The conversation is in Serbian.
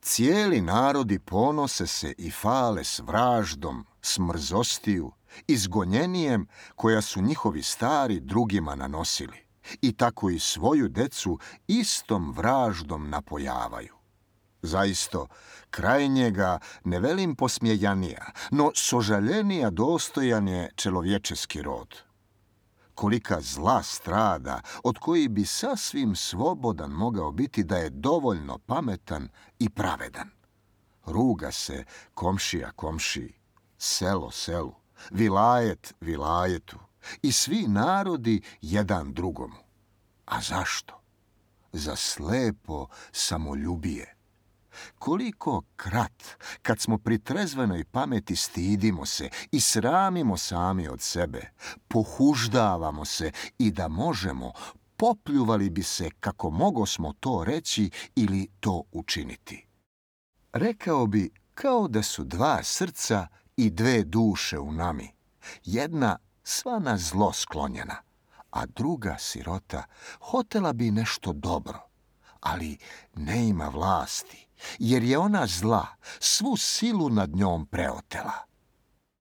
Cijeli narodi ponose se i fale s vraždom, smrzostiju, izgonjenijem koja su njihovi stari drugima nanosili, i tako i svoju decu istom vraždom napojavaju. Zaisto, krajnjega ne velim posmjejanija, no sožaljenija dostojan je čelovječeski rod. Kolika zla strada, od koji bi sasvim slobodan mogao biti da je dovoljno pametan i pravedan. Ruga se komšija komšiji, selo selu, vilajet vilajetu i svi narodi jedan drugomu. A zašto? Za slepo samoljubije. Koliko krat, kad smo pri trezvenoj pameti stidimo se i sramimo sami od sebe, pohuždavamo se i da možemo, popljuvali bi se kako mogosmo to reći ili to učiniti. Rekao bi kao da su dva srca i dve duše u nami, jedna sva na zlo sklonjena, a druga sirota hotela bi nešto dobro, ali ne ima vlasti, jer je ona zla svu silu nad njom preotela.